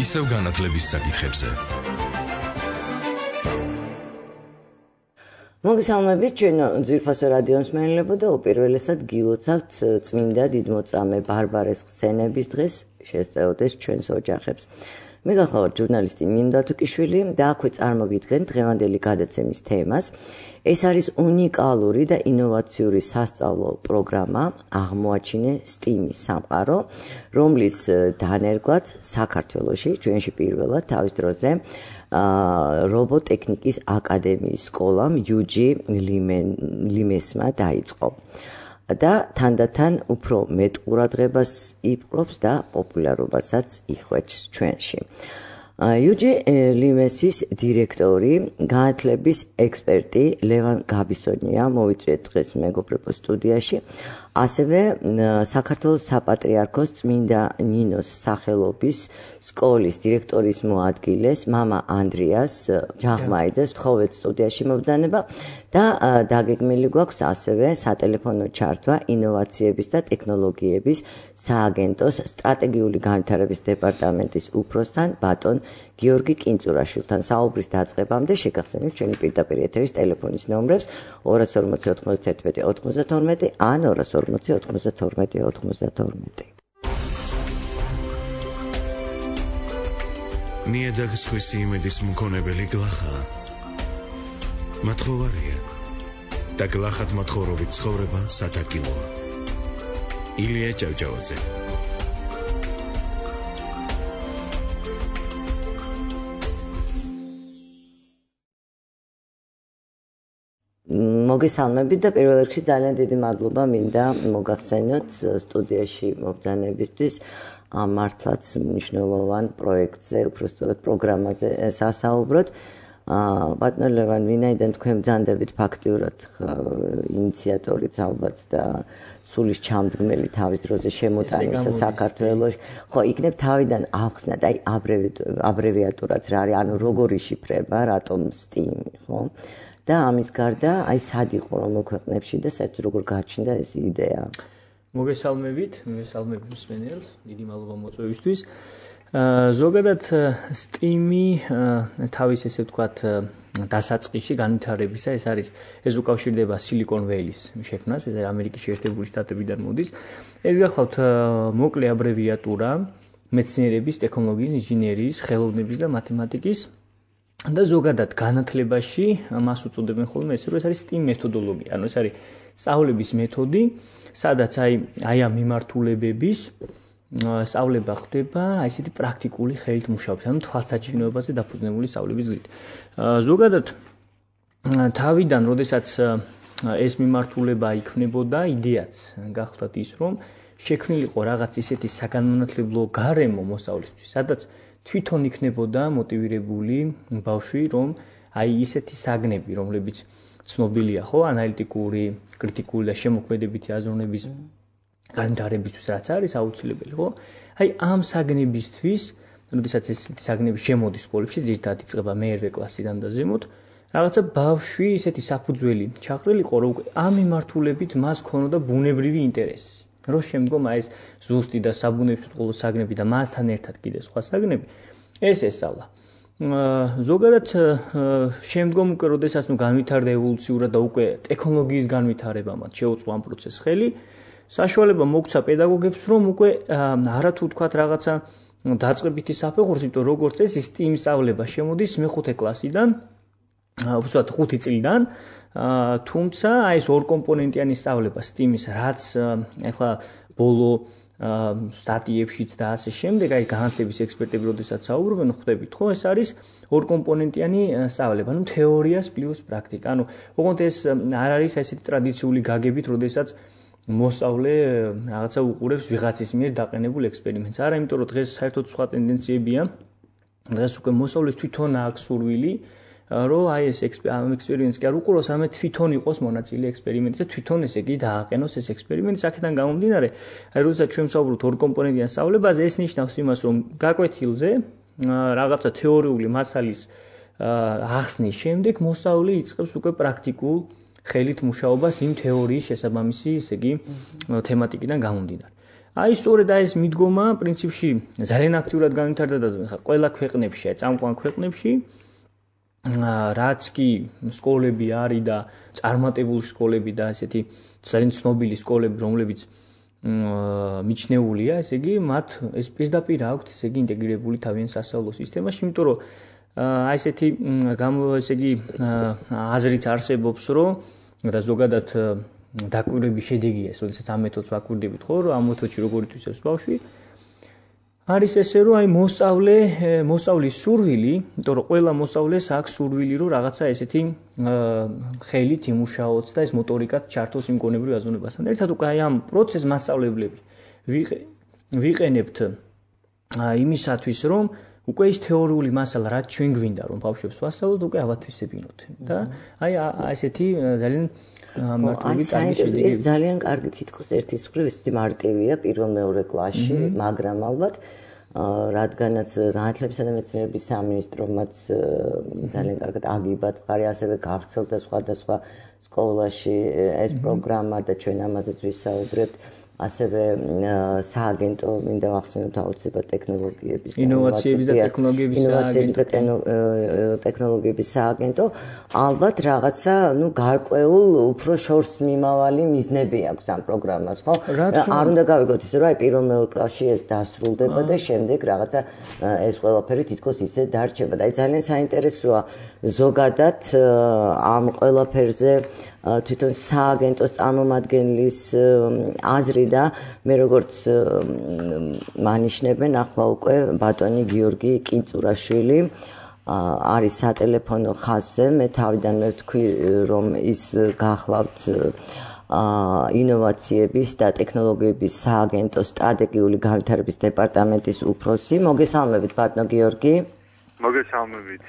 ისევ განათლების საკითხებზე. მოგესალმებით ჩვენო ძვირფასო რადიო მსმენელებო და უპირველესად გილოცავთ წმინდა დიდმოწამე ბარბარეს ხსენების დღეს შესწეოდეს ჩვენს ოჯახებს. მე გახლავართ ჟურნალისტი ნინო დათუკიშვილი და აქვე წარმოგიდგენთ დღევანდელი გადაცემის თემას. ეს არის უნიკალური და ინოვაციური სასწავლო პროგრამა აღმოაჩინე STEAM-ის სამყარო, რომლის დანერგვაც საქართველოში ჩვენში პირველად თავის დროზე რობოტექნიკის აკადემიის სკოლამ UG ლიმესმა დაიწყო და თანდათან უფრო მეტ ყურადღებას იპყრობს და პოპულარობასაც იხვეჭს ჩვენში. UG ლიმესის დირექტორი, განათლების ექსპერტი ლევან გაბისონია მოვიწვიეთ დღეს მეგობრებო სტუდიაში. ასევე საქართველოს საპატრიარქოს წმინდა ნინოს სახელობის სკოლის დირექტორის მოადგილეს მამა ანდრიას ჯაღმაიძეს ვთხოვეთ სტუდიაში მობრძანება და დაგეგმილი გვაქვს ასევე სატელეფონო ჩართვა ინოვაციების და ტექნოლოგიების სააგენტოს სტრატეგიული განვითარების დეპარტამენტის უფროსთან ბატონ გიორგი კინწურაშვილთან საუბრის დაწყებამდე შეგახსენებთ ჩვენი პირდაპირ ეთერის ტელეფონის ნომრებს 240 91 92 ან 240 92 92. ნიადაგს ხვისი იმედის მქონებელი გლახა. მათხოვარია და გლახად მათხოვრობით ცხოვრება სათაკილოა. ილია ჭავჭავაძე. მოგესალმებით და პირველ რიგში ძალიან დიდი მადლობა მინდა მოგახსენოთ სტუდიაში მობრძანებისთვის ამ მართლაც მნიშვნელოვან პროექტზე, უბრალოდ პროგრამაზე სასაუბროთ. ბატონო ლევან, ვინაიდან თქვენ ბრძანდებით ფაქტიურად ინიციატორიც ალბათ და სულის ჩამდგმელი თავის დროზე შემოტანისა საქართველოში, ხო, იქნებ თავიდან ახსნათ, აი აბრევიატურად რა არის, ანუ როგორი შიფრება, რატომ STEAM, ხო? და ამის გარდა აი სად იყო რომ მოქვეყნებში და საერთოდ როგორ გაჩნდა ეს იდეა. მოგესალმებით მსმენელს, დიდი მადლობა მოწვევისთვის. ზოგადად STEAM-ი თავის ესე ვთქვათ დასაწყისში განვითარებისა ეს უკავშირდება Silicon Valley-ის შექმნას, ეს ამერიკის შეერთებული შტატებიდან მოდის. ეს გახლავთ მოკლე აბრევიატურა მეცნიერების, ტექნოლოგიის, ინჟინერიის, ხელოვნების და მათემატიკის და ზოგადად განათლებაში მას უწოდებენ ხოლმე ეს არის STEAM მეთოდოლოგია. ანუ ეს არის სწავლების მეთოდი, სადაც აი ამ მიმართულებების სწავლება ხდება ესეთი პრაქტიკული ხელით მუშაობით, ანუ თვალსაჩინოებაზე დაფუძნებული სწავლების გზით. ზოგადად თავიდან, როდესაც ეს მიმართულება იქმნებოდა, იდეაც გახლავთ ის, რომ შექმნილიყო რაღაც ისეთი საგანმანათლებლო გარემო მოსავლისთვის, სადაც თვითონ იქნებოდა მოტივირებული ბავშვი, რომ აი ისეთი საგნები, რომლებიც ცნობილია, ხო, ანალიტიკური, კრიტიკული და შემოქმედებითი აზროვნების განვითარებისთვის რაც არის აუცილებელი, ხო? აი ამ საგნებისთვის, როდესაც ესეთი საგნები შემოდის სკოლებში, ზირთად იწყება მე-1 კლასიდან და ზემოთ, რაღაცა ბავშვი ისეთი საფუძველი ჩაყრილიყო, რომ ამ მიმართულებით მას ქონოდა ბუნებრივი ინტერესი. რომ შემდგომ ეს ზუსტი და საბუნებისმეტყველო ყოლო საგნები და მასთან ერთად კიდე სხვა საგნები ეს ესწავლა. ზოგადად შემდგომ უკვე როდესაც განვითარდა ევოლუციურად და უკვე ტექნოლოგიის განვითარებამ შეუწყო ამ პროცესს ხელი, საშუალება მოგცა პედაგოგებს, რომ უკვე არათუ თქვათ რაღაცა დაწყებითი საფეხურს, იმიტომ როგორც ეს STEAM სწავლება შემოდის მე-5 კლასიდან, უბრალოდ 5 წლიდან, თუმცა აი ეს ორკომპონენტიანი სწავლება STEAM-ის, რაც ახლა ბოლო სტატიებშიც და ასე შემდეგ, აი განათლების ექსპერტები როდესაც საუბრობენ, ხვდებით, ხო, ეს არის ორკომპონენტიანი სწავლება, ანუ თეორიას პლუს პრაქტიკა. ანუ ოღონდ ეს არ არის ესეთი ტრადიციული გაგებით, როდესაც მოსწავლე რაღაცა უყურებს ვიღაცის მიერ დაყენებულ ექსპერიმენტს. არა, იმიტომ რომ დღეს საერთოდ სხვა ტენდენციებია. დღეს უკვე მოსწავლეს თვითონ აქვს სურვილი, რომ აი ეს ექსპერიმენტს კი არ უყუროს, არამედ თვითონ იყოს მონაწილე ექსპერიმენტის და თვითონ ესე იგი დააყენოს ეს ექსპერიმენტი. აქედან გამომდინარე, აი როდესაც ჩვენ ვსაუბრობთ ორკომპონენტიან სწავლებაზე, ეს ნიშნავს იმას, რომ გაკვეთილზე რაღაცა თეორიული მასალის ახსნის შემდეგ მოსწავლე იწყებს უკვე პრაქტიკულ ხელით მუშაობას იმ თეორიის შესაბამისი, ესე იგი, თემატიკიდან გამომდინარე. აი სწორედ ეს მიდგომა პრინციპში ძალიან აქტიურად განვითარდა და ყველა ქვეყნებში, წამყვან ქვეყნებში რაც კი სკოლები არის და წარმატებული სკოლები და ესეთი ძალიან ცნობილი სკოლები, რომლებიც მიჩნეულია, ესე იგი, მათ ეს პირდაპირ აქვთ, ესე იგი, ინტეგრირებული თავიანთ სასწავლო სისტემაში, იმიტომ რომ აი ესეთი ესე იგი აზრიც არსებობს, რომ და ზოგადად დაკვირვების შედეგია, როდესაც ამ მეთოდს ვაკვირდებით, ხო, რომ ამ მეთოდში როგორ ითვისებს ბავშვი, არის ესე, რომ აი მოსწავლის სურვილი, იმიტომ რომ ყველა მოსწავლეს აქვს სურვილი, რომ რაღაცა ესეთი ხელით იმუშაოს და ეს მოტორიკად ჩართოს იმ გონებრივ აზროვნებასთან. ერთად უკვე აი ამ პროცესს მასწავლებლები ვიყენებთ იმისათვის, რომ უკვე ის თეორიული მასალა, რაც ჩვენ გვინდა, რომ ბავშვებს ვასწავლოთ, უკვე ავათვისებინოთ. და აი ესეთი ძალიან მარტივი კარგი შედეგი. ეს ძალიან კარგი თითქოს ერთის მხრივ ესეთი მარტივია პირველ-მეორე კლასში, მაგრამ ალბათ რადგანაც განათლებისა და მეცნიერების სამინისტრომაც ძალიან კარგად აგიბათ მხარი, ასევე გავრცელდა სხვადასხვა სკოლაში ეს პროგრამა და ჩვენ ამაზეც ვისაუბრებთ. ასევე სააგენტო მინდა ვახსენოთ აუცილებლად ტექნოლოგიების ინოვაციების და ტექნოლოგიების სააგენტო ალბათ რაღაცა გარკვეულ უფრო შორს მიმავალი მიზნები აქვს ამ პროგრამას, ხო? არ უნდა გავიგოთ ისე რომ აი პირველ-მეორე კლასში ეს დასრულდება და შემდეგ რაღაცა ეს ყველაფერი თითქოს ისე დარჩება და აი ძალიან საინტერესოა ზოგადად ამ ყველაფერზე თვითონ სააგენტოს წარმომადგენლის აზრი და მე როგორც მანიშნებენ ახლა უკვე ბატონი გიორგი კინწურაშვილი არის სატელეფონო ხაზზე მე თავიდანვე ვთქვი რომ ის გახლავთ ინოვაციების და ტექნოლოგიების სააგენტოს სტრატეგიული განვითარების დეპარტამენტის უფროსი. მოგესალმებით ბატონო გიორგი. მოგესალმებით.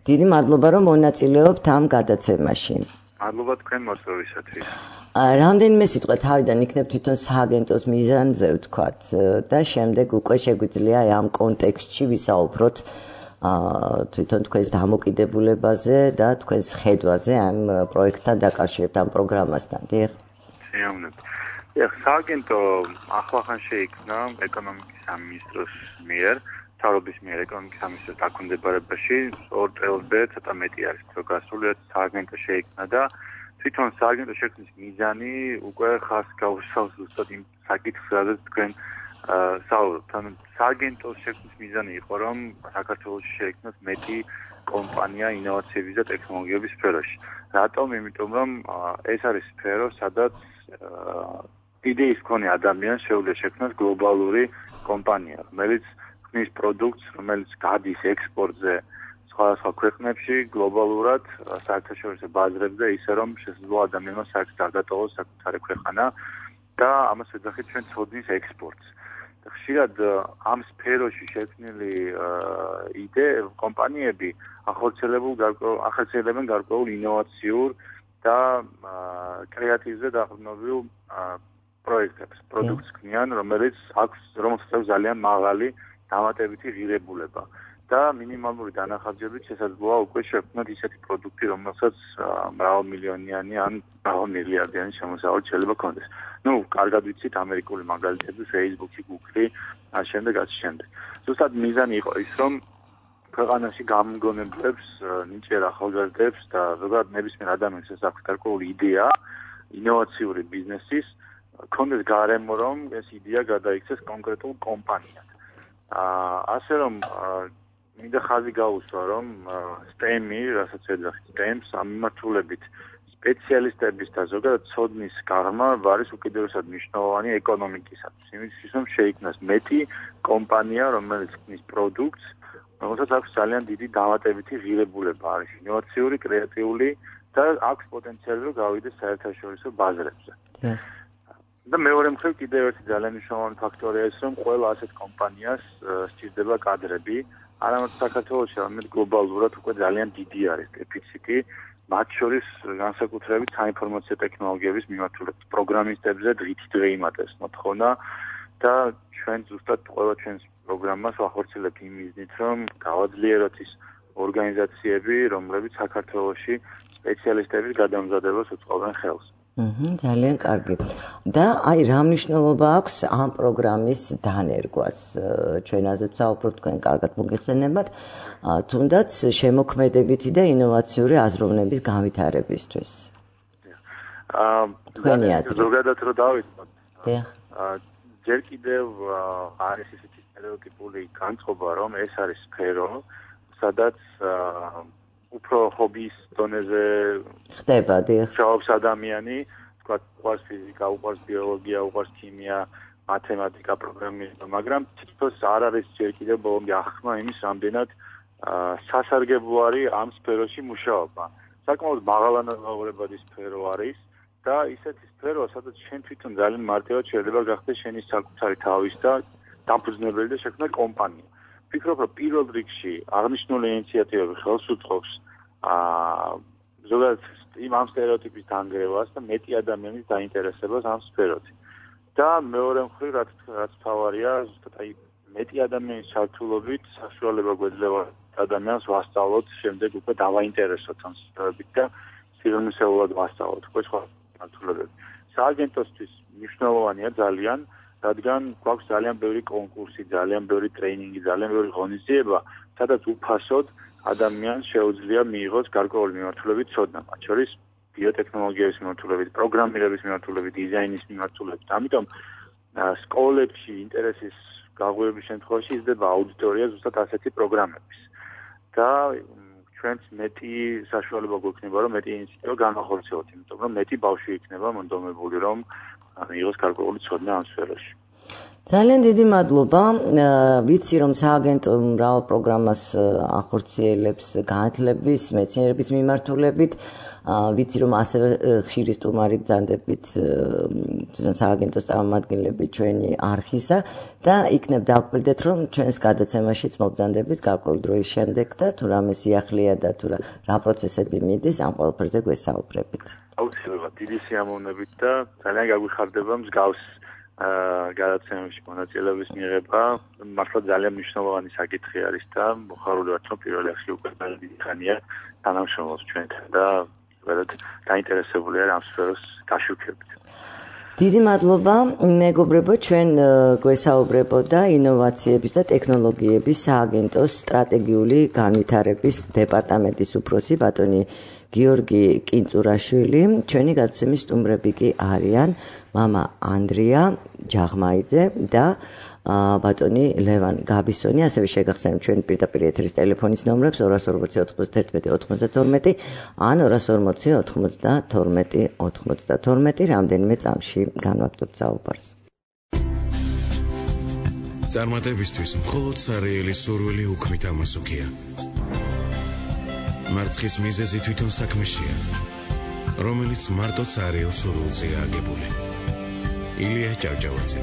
დიდი მადლობა რომ მონაწილეობთ ამ გადაცემაში. მადლობა თქვენ მოსწრებისათვის. რამდენიმე სიტყვა თავიდან იქნებ თვითონ სააგენტოს მიზანზე ვთქვათ და შემდეგ უკვე შეგვიძლია ამ კონტექსტში ვისაუბროთ თვითონ თქვენს დამოკიდებულებაზე და თქვენს ხედვაზე ამ პროექტთან დაკავშირებით ამ პროგრამასთან. დიახ. შეამნებ. სააგენტო ახლახან შეიქმნა ეკონომიკის სამინისტროს მიერ, თავრობის მიერ ეკონომიკის სამინისტროს დაქვემდებარებაში 2 წელზე ცოტა მეტი არის რო გასული სააგენტო შეიქმნა და თვითონ სააგენტოს შექმნის მიზანი უკვე ხას გაუსავს ზუსტად იმ საკითხს, სადაც თქვენ საუბრობთ. ანუ სააგენტოს შექმნის მიზანი იყო, რომ საქართველოში შეიქმნას მეტი კომპანია ინოვაციების და ტექნოლოგიების სფეროში. რატომ? იმიტომ რომ ეს არის სფერო, სადაც იდეის მქონე ადამიანს შეუძლია შექმნას გლობალური კომპანია, რომელიც ქმნის პროდუქტს, რომელიც გადის ექსპორტზე სხვადასხვა ქვეყნებში გლობალურად საერთაშორისო ბაზრებზე, ისე რომ შესაძლოა ადამიანმა საერთოდ არ დატოვოს საკუთარი ქვეყანა და ამას ვეძახით ჩვენ ცოდნის ექსპორტს. ხშირად ამ სფეროში შექმნილი კომპანიები ახორციელებენ გარკვეულ ინოვაციურ და კრეატივზე დაყრდნობილ პროექტებს, პროდუქტს ქმნიან, რომელიც აქვს ძალიან მაღალი დამატებითი ღირებულება და მინიმალური დანახარჯებით შესაძლოა უკვე შექმნათ ისეთი პროდუქტი, რომელსაც მრავალმილიონიანი ან მრავალმილიარდიანი შემოსავალი შეიძლება ქონდეს. კარგად ვიცით ამერიკული მაგალითები, Facebook-ი, Google-ი, ამ შემდეგ. ზუსტად მიზანი იყო ის, რომ ქვეყანაში გამგონებლებს, ნიჭიერ ახალგაზრდებს და ზოგადად ნებისმიერ ადამიანს ეს აქვს გარკვეული იდეა ინოვაციური ბიზნესის, ქონდეს გარემო, რომ ეს იდეა გადაიქცეს კონკრეტულ კომპანიად. ასე რომ მინდა ხაზი გაუსვა, რომ STEM-ი, რასაც ეძახით STEM-ს, ამ მიმართულებით სპეციალისტების და ზოგადად ცოდნის გაღრმა არის უკიდურესად მნიშვნელოვანი ეკონომიკისათვის. იმისთვის, რომ შეიქმნას მეტი კომპანია, რომელიც ქმნის პროდუქტს, რომელსაც აქვს ძალიან დიდი დამატებითი ღირებულება, არის ინოვაციური, კრეატიული და აქვს პოტენციალი, რომ გავიდეს საერთაშორისო ბაზრებზე. და მეორე მხრივ კიდევ ერთი ძალიან მნიშვნელოვანი ფაქტორია ის, რომ ყველა ასეთ კომპანიას სჭირდება კადრები, არამედ საქართველოში, არამედ გლობალურად უკვე ძალიან დიდი არის დეფიციტი, მათ შორის განსაკუთრებით საინფორმაციო ტექნოლოგიების მიმართულებით. პროგრამისტებზე დღითიდღე იმატებს მოთხოვნა და ჩვენ ზუსტად ყველა ჩვენს პროგრამას ვახორციელებთ იმ მიზნით, რომ გავაძლიეროთ ის ორგანიზაციები, რომლებიც საქართველოში სპეციალისტების გადამზადებას უწყობენ ხელს. ძალიან კარგი. და აი რა მნიშვნელობა აქვს ამ პროგრამის დანერგვას? ჩვენ ასეც საუბრობთ, თქვენ კარგად მოგიხსენებათ, თუნდაც შემოქმედებითი და ინოვაციური აზროვნების განვითარებისთვის. თქვენი აზრი. ზოგადად რო დავიწყოთ. დიახ. ჯერ კიდევ არის ისეთი სტერეოტიპული განწყობა, რომ ეს არის სფერო, სადაც უფრო ჰობის დონეზე ხდება, დიახ. მუშაობს ადამიანი, თქვა უყვარს ფიზიკა, უყვარს ბიოლოგია, უყვარს ქიმია, მათემატიკა, პროგრამირება, მაგრამ თითქოს არ არის ჯერ კიდევ ბოლომდე ახმა იმის რამდენად სასარგებლო არის ამ სფეროში მუშაობა. საკმაოდ მაღალანაზღაურებადი სფერო არის და ისეთი სფეროა, სადაც შენ თვითონ ძალიან მარტივად შეიძლება გახდეს შენი საკუთარი თავის და დამფუძნებელი და შექმნა კომპანია. ვფიქრობ, რომ პირველ რიგში აღნიშნული ინიციატივები ხელს უწყობს ზოგადად ამ სტერეოტიპის დანგრევას და მეტი ადამიანის დაინტერესებას ამ სფეროთი. და მეორე მხრივ, რაც თავარია, ზუსტად აი მეტი ადამიანის ჩართულობით საშუალება გვეძლევა ადამიანს ვასწავლოთ, შემდეგ უკვე დავაინტერესოთ ამ სფეროებით და სიღრმისეულად ვასწავლოთ უკვე სხვა ჩართულებები. სააგენტოსთვის მნიშვნელოვანია ძალიან, რადგან გვაქვს ძალიან ბევრი კონკურსი, ძალიან ბევრი ტრეინინგი, ძალიან ბევრი ღონისძიება, სადაც უფასოდ ადამიანს შეუძლია მიიღოს გარკვეული მიმართულებით ცოდნა, მათ შორის ბიოტექნოლოგიების მიმართულებით, პროგრამირების მიმართულებით, დიზაინის მიმართულებით. ამიტომ სკოლებში ინტერესის გაღვივების შემთხვევაში იზრდება აუდიტორია ზუსტად ასეთი პროგრამების. და ჩვენც მეტი საშუალება გვექნება, რომ მეტი ინიციატივა განახორციელოთ, იმიტომ რომ მეტი ბავშვი იქნება მონდომებული, რომ მიიღოს გარკვეული ცოდნა ამ სფეროში. ძალიან დიდი მადლობა. ვიცი, რომ სააგენტო მრავალ პროგრამას ახორციელებს განათლების, მეცნიერების მიმართულებით. ვიცი, რომ ასევე ხშირი სტუმარი ბრძანდებით სააგენტოს წარმომადგენლები ჩვენი არხისა და იქნებ დავკვირდეთ, რომ ჩვენს გადაცემაშიც მობრძანდებით გარკვეული დროის შემდეგ და თუ რამე სიახლეა და თუ რა პროცესები მიდის, ამ ყველაფერზე გვესაუბრებით. აუცილებლად დიდი სიამოვნებით და ძალიან გაგვიხარდება მსგავს გადაცემებში მონაწილეობის მიღება. მართლა ძალიან მნიშვნელოვანი საკითხი არის და მოხარული ვართ, რომ პირველ რიგში უკვე ძალიან დიდი ხანია თანამშრომლობს ჩვენთან და დაინტერესებულია ამ სფეროს გაშუქებით. დიდი მადლობა, მეგობრებო, ჩვენ გვესაუბრებოდა ინოვაციების და ტექნოლოგიების სააგენტოს სტრატეგიული განვითარების დეპარტამენტის უფროსი ბატონი გიორგი კინწურაშვილი. ჩვენი გადაცემის სტუმრები კი არიან მამა ანდრია ჯაღმაიძე და ბატონი ლევან გაბისონი. ასევე შეგახსენებთ ჩვენი პირდაპირ ეთერის ტელეფონის ნომრებს 240 91 92 ან 240 92 92 რამდენიმე წამში განვაგრძობთ საუბარს. წარმატებისთვის მხოლოდ სარეელი სურვილი უქმით ამასუქია. მარცხის მიზეზი თვითონ საქმეშია, რომელიც მარტო სარეელ სურვილზეა აგებული. ილია ჭავჭავაძე.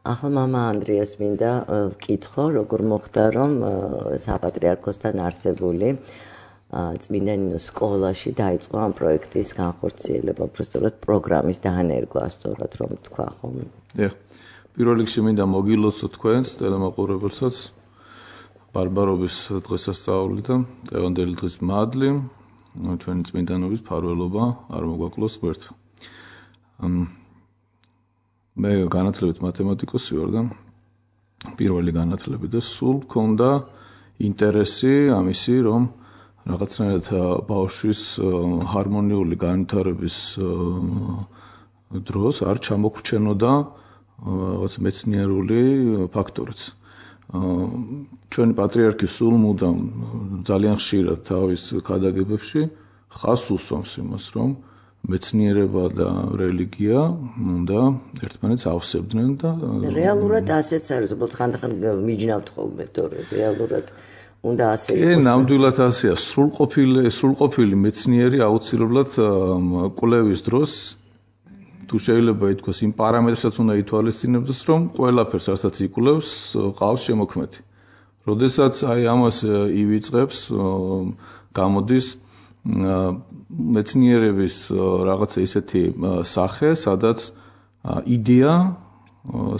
ახლა მამა ანდრიას მინდა ვკითხო, როგორ მოხდა, რომ საპატრიარქოსთან არსებული წმინდა ნინოს სკოლაში დაიწყო ამ პროექტის განხორციელება, უბრალოდ პროგრამის დანერგვა, სწორად რომ თქვა ხომ? დიახ. პირველ რიგში მინდა მოგილოცოთ თქვენს ტელემაყურებელსაც ბარბარობის დღესასწაულიდან, დღევანდელი დღის მადლი, ჩვენი წმინდანობის ფარველობა არ მოგვაკლოს გვერდ. მე განათლებით მათემატიკოსი ვარ და პირველი განათლები და სულ მქონდა ინტერესი ამისი, რომ რაღაცნაირად ბავშვის ჰარმონიული განვითარების დროს არ ჩამოგრჩენოდა რაღაც მეცნიერული ფაქტორიც. ჩვენი პატრიარქი სულ მუდამ ძალიან ხშირად თავის ქადაგებებში ხაზს უსვამს იმას, რომ მეცნიერება და რელიგია უნდა ერთმანეთს ავსებდნენ და რეალურად ასეც არის, უბრალოდ ხანდახან მიჯნავთ ხოლმე, თორე რეალურად უნდა ასე იყოს. ნამდვილად ასეა, სრულყოფილი მეცნიერი აუცილებლად კვლევის დროს თუ შეიძლება ითქვას იმ პარამეტრსაც უნდა ითვალისწინებდეს, რომ ყველაფერს რასაც იკვლევს, ყავს შემოქმედი. როდესაც აი ამას ივიწყებს, გამოდის მეცნიერების რაღაცა ისეთი სახე, სადაც იდეა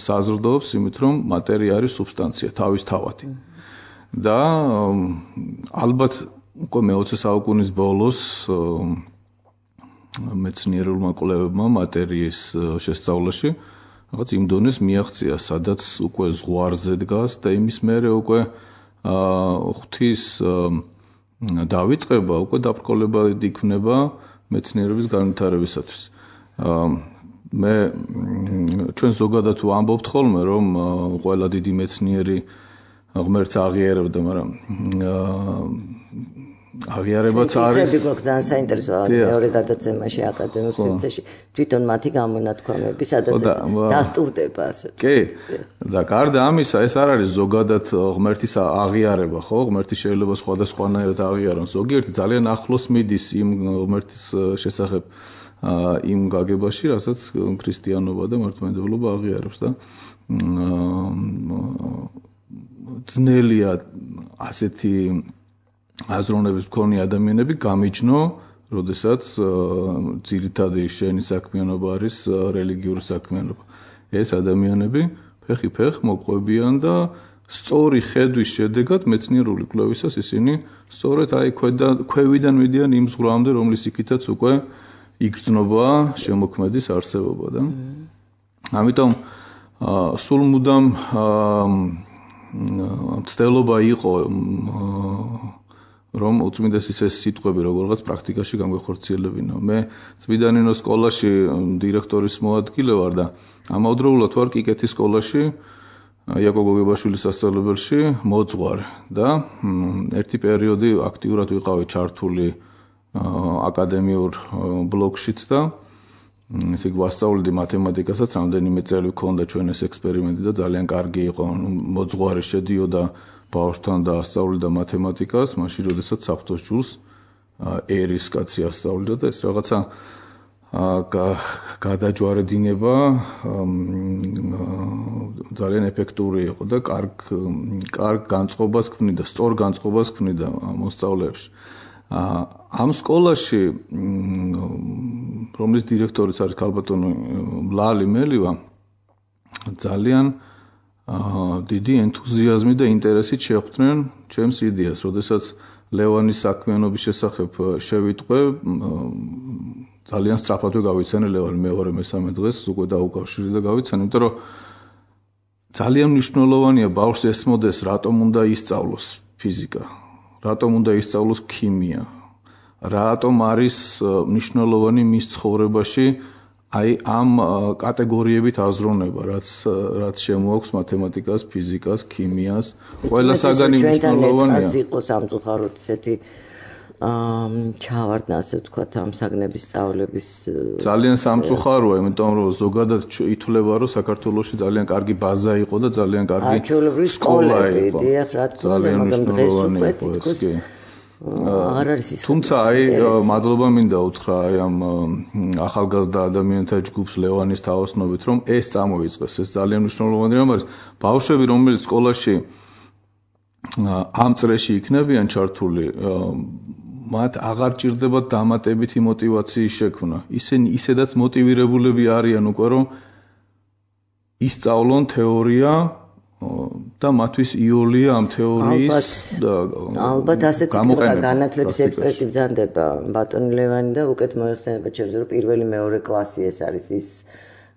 საზრდოობს იმით, რომ მატერია არის სუბსტანცია თავისთავადი. და ალბათ უკვე მე-20 საუკუნის ბოლოს მეცნიერულმა კვლევებმა მატერიის შესწავლაში რაღაც იმ დონეს მიაღწია, სადაც უკვე ზღვარზე დგას და იმის მერე უკვე ღვთის დავიწყება უკვე დაბრკოლებად იქნება მეცნიერების განვითარებისათვის. მე ჩვენ ზოგადად ვამბობთ ხოლმე, რომ ყველა დიდი მეცნიერი ღმერთს აღიარებდა, მაგრამ აღიარებაც არის. იქნება ძალიან საინტერესოა მეორე გადაცემაში აკადემიურ სივრცეში თვითონ მათი გამონათქვამები, სადაც დასტურდება ასე. კი. და გარდა ამისა, ეს არ არის ზოგადად ღმერთის აღიარება, ხო? ღმერთი შეიძლება სხვადასხვანაირად აღიარონ. ზოგიერთი ძალიან ახლოს მიდის იმ ღმერთის შესახებ იმ გაგებაში, რასაც ქრისტიანობა და მართლმადიდებლობა აღიარებს და ძნელია ასეთი აზროვნების მქონე ადამიანები გამიჯნო, როდესაც ძირითადი შენი საქმიანობა არის რელიგიური საქმიანობა. ეს ადამიანები ფეხი-ფეხ მოყვებიან და სწორი ხედვის შედეგად მეცნიერული კვლევისას ისინი სწორედ აი ქვევიდან მიდიან იმ ზღვრამდე, რომლის იქითაც უკვე იგრძნობა შემოქმედის არსებობა და ამიტომ სულ მუდამ მცდელობა იყო რომ უწმინდესის ეს სიტყვები როგორღაც პრაქტიკაში გამგვეხორციელებინა. მე წმინდანინოს სკოლაში დირექტორის მოადგილე ვარ და ამავდროულად ვარ კიკეთის სკოლაში იაკობ გოგებაშვილის სასწავლებელში მოძღვარი და ერთი პერიოდი აქტიურად ვიყავი ჩართული აკადემიურ ბლოკშიც და ესე იგი ვასწავლედი მათემატიკასაც, რამდენიმე წელი მქონდა ჩვენ ეს ექსპერიმენტი და ძალიან კარგი იყო. მოძღვარი შედიოდა ბავშვთან და ასწავლიდა მათემატიკას, მაშინ როდესაც საფრთხოს ჯულს ერის კაცი ასწავლიდა და ეს რაღაცა გადაჯვარედინება ძალიან ეფექტური იყო და კარგ განწყობას ქმნიდა, სწორ განწყობას ქმნიდა მოსწავლეებში. ამ სკოლაში, რომლის დირექტორიც არის ქალბატონი ლალი მელივა, ძალიან დიდი ენთუზიაზმი და ინტერესით შეხვდნენ ჩემს იდეას, როდესაც ლევანის საქმიანობის შესახებ შევიტყვე, ძალიან სწრაფად გავიცანე ლევანი მეორე მესამე დღეს უკვე დაუკავშირე და გავიცანე, იმიტომ რომ ძალიან მნიშვნელოვანია ბავშვს ესმოდეს, რატომ უნდა ისწავლოს ფიზიკა, რატომ უნდა ისწავლოს ქიმია, რატომ არის მნიშვნელოვანი მის ცხოვრებაში აი ამ კატეგორიებით აზროვნება, რაც შემოაქვს მათემატიკას, ფიზიკას, ქიმიას, ყველა საგანი მნიშვნელოვანია. ჩვენთან იყო სამწუხაროდ ესეთი ჩავარდნა, ასე ვთქვათ, ამ საგნების სწავლების ძალიან სამწუხაროა, იმიტომ რომ ზოგადად ითვლება, რომ საქართველოში ძალიან კარგი ბაზა იყო და ძალიან კარგი სკოლა იყო. დიახ, რა თქმა უნდა, მაგრამ დღეს უკვე თითქოს არ არის ის. თუმცა აი მადლობა მინდა უთხრა აი ამ ახალგაზრდა ადამიანთა ჯგუფს ლევანის თავოსნობით, რომ ეს წამოიწყეს, ეს ძალიან მნიშვნელოვანი რამ არის. ბავშვები, რომელიც სკოლაში ამ წრეში იქნებიან ჩართული, მათ აღარ ჭირდებათ დამატებითი მოტივაციის შექმნა. ისინი ისედაც მოტივირებულები არიან უკვე, რომ ისწავლონ თეორია და მათთვის იოლია ამ თეორიის ალბათ ასეც განათლების ექსპერტი ბრძანდება ბატონი ლევანი და უკეთ მოიხსენება ჩემს რომ პირველი მეორე კლასი ეს არის ის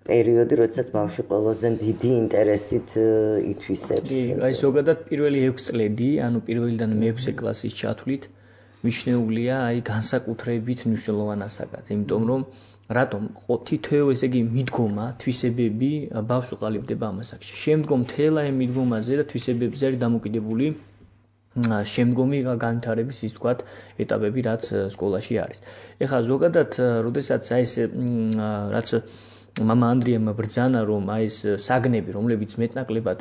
პერიოდი, როდესაც ბავშვი ყველაზე დიდი ინტერესით ითვისებს. აი ზოგადად პირველი 6 წლები, ანუ პირველიდან მე-6 კლასის ჩათვლით მიჩნეულია აი განსაკუთრებით მნიშვნელოვან ასაკად, იმიტომ რომ რატომ თითოეულ ესე იგი მიდგომა, თვისებები ბავშვს ყალიბდება ამ ასაკში. შემდგომ თელა ამ მიდგომაზე და თვისებებზე არის დამოკიდებული შემდგომი განვითარების ის თქვათ ეტაპები, რაც სკოლაში არის. ეხლა ზოგადად, როდესაც აი ეს რაც მამა ანდრიამ ბრძანა, რომ აი ეს საგნები, რომლებიც მეტნაკლებად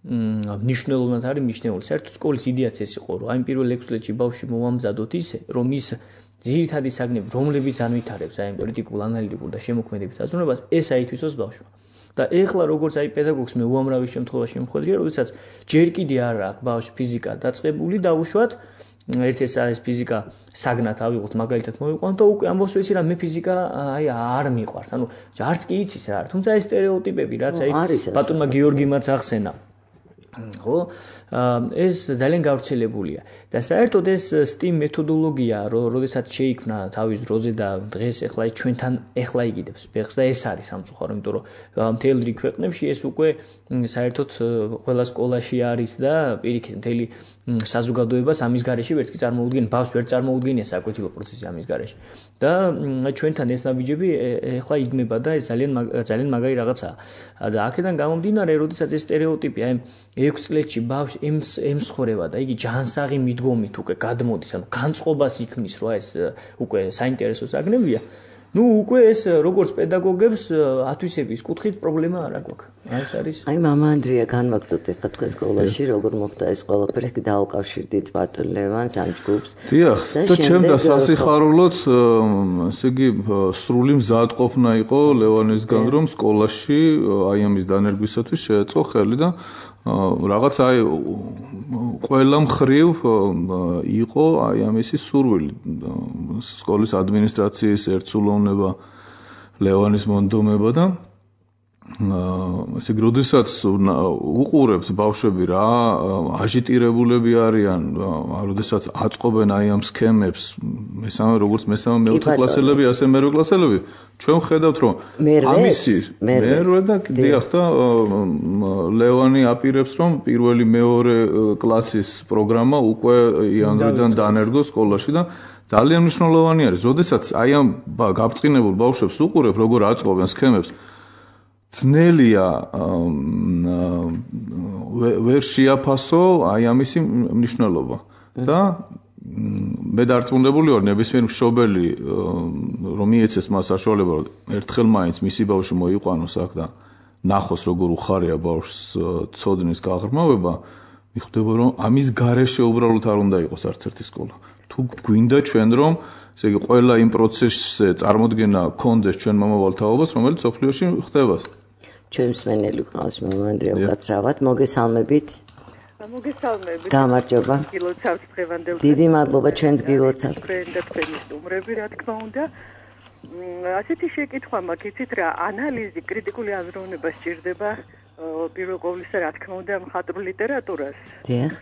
მნიშვნელოვნად არის მიჩნეული. საერთოდ სკოლის იდეაც ეს იყო, რომ აი პირველ 6 წლებში ბავშვი მოვამზადოთ ისე, რომ ის ძირითადი საგნები, რომლებიც ანვითარებს აი პოლიტიკურ, ანალიტიკურ და შემოქმედებით აზროვნებას, ეს აითვისოს ბავშვმა. და ეხლა როგორც აი პედაგოგს მე უამრავი შემთხვევაში მხვედრია, როდესაც ჯერ კიდე არ აქვს ბავშვი ფიზიკა დაწყებული, დაუშვათ ერთ-ეს არის ფიზიკა საგნად ავიღოთ, მაგალითად მოვიყვანოთ და უკვე ამბობს ვიცი რა მე ფიზიკა აი არ მიყვარს. ანუ არც კი იცის რა. თუმცა ეს სტერეოტიპები, რაც აი ბატონმა გიორგიმაც ახსენა. ხო ეს ძალიან გავრცელებულია და საერთოდ ეს STEAM მეთოდოლოგია როდესაც შეიქმნა თავის დროზე და დღეს ახლა ჩვენთან ახლა იგიდებს ფეხს და ეს არის სამწუხარო იმიტომ რომ მთელ რიგ ქვეყნებში ეს უკვე საერთოდ ყველა სკოლაში არის და პირიქით მთელი საზოგადოებას ამის გარეშე ვერც კი წარმოუდგენ ბავშვს ვერ წარმოუდგენია საკვეთილო პროცესი ამის გარეშე და ჩვენთან ეს ნაბიჯები ახლა იგნება და ეს ძალიან მაგარი რაღაცაა და აქედან გამომდინარე როდესაც ეს სტერეოტიპი აი 6 წლებში ბავშვი ემსხვრევა და იგი ჯანსაღი მიდგომით უკვე გადმოდის ანუ განწყობას იქმნის რა ეს უკვე საინტერესო საგნებია ну უკვე ეს როგორც პედაგოგებს ათვისების კუთხით პრობლემა არ აქვს ეს არის აი მამა ანდრია განვაგდოთ ახლა თქვენ სკოლაში როგორ მოხდა ეს ყველაფერი დაუკავშირდით ბატონ ლევანს ამ ჯგუფს დიახ და ჩემ და სასიხარულოდ ესე იგი სრული მზადყოფნა იყო ლევანისგან რომ სკოლაში აი ამის დანერგვისათვის შეეწყო ხელი და რაღაც აი ყველა მხრივ იყო აი ამისი სურვილი სკოლის ადმინისტრაციის ერთსულოვნება ლევანის მონდომება და ესე იგი როდესაც უყურებთ ბავშვები რა აჟიტირებულები არიან როდესაც აწყობენ აი ამ სქემებს მესამე როგორც მესამე მეოთხე კლასელები ასე მერვე კლასელები ჩვენ ხედავთ რომ ამისი მერვე და დიახ და ლევანი აპირებს რომ პირველი მეორე კლასის პროგრამა უკვე იანვრიდან დანერგოს სკოლაში და ძალიან მნიშვნელოვანი არის როდესაც აი ამ გაბრწყინებულ ბავშვებს უყურებ როგორ აწყობენ სქემებს ძნელია ვერ შეაფასო აი ამისი მნიშვნელობა და მე დარწმუნებული ვარ ნებისმიერ მშობელი რომ მიეცეს მას საშუალება რომ ერთხელ მაინც მისი ბავშვი მოიყვანოს აქ და ნახოს როგორ უხარია ბავშვს ცოდნის გაღრმავება მიხვდება რომ ამის გარეშე უბრალოდ არ უნდა იყოს არც ერთი სკოლა თუ გვინდა ჩვენ რომ ესე იგი ყველა იმ პროცესზე წარმოდგენა გქონდეს ჩვენ მომავალ თაობას რომელიც სოფლიოში ხდება ჩვენ მსმენელი ყავს მამა ანდრია უკაცრავად მოგესალმებით მოგესალმებით გამარჯობა გილოცავთ დღევანდელ დიდი მადლობა ჩვენს გილოცავთ თქვენ და თქვენი სტუმრები რა თქმა უნდა ასეთი შეკითხვა მაქვს იცით რა ანალიზი კრიტიკული აზროვნება სჭირდება პირველ ყოვლისა რა თქმა უნდა მხატვრულ ლიტერატურას დიახ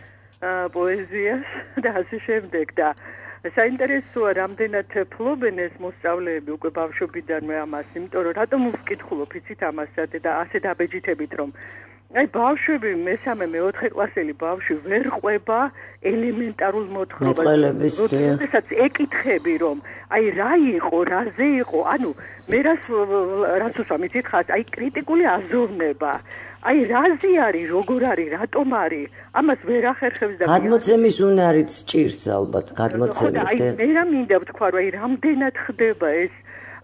პოეზიას და ასე შემდეგ და საინტერესოა რამდენად ფლობენ ეს მოსწავლეები უკვე ბავშვობიდანვე ამას იმიტომ რომ რატომ ვკითხულობ იცით ამასაც და ასე დაბეჯითებით რომ აი ბავშვები მესამე მეოთხე კლასელი ბავშვი ვერ ყვება ელემენტარულ მოთხრობას როდესაც ეკითხები რომ აი რა იყო რაზე იყო ანუ მე რაც უსვამით ხას აი კრიტიკული აზროვნება აი რაზე არის როგორ არის რატომ არის ამას ვერ ახერხებს და გადმოცემის უნარიც ჭირს ალბათ გადმოცემის აი მე რა მინდა ვთქვა რომ აი რამდენად ხდება ეს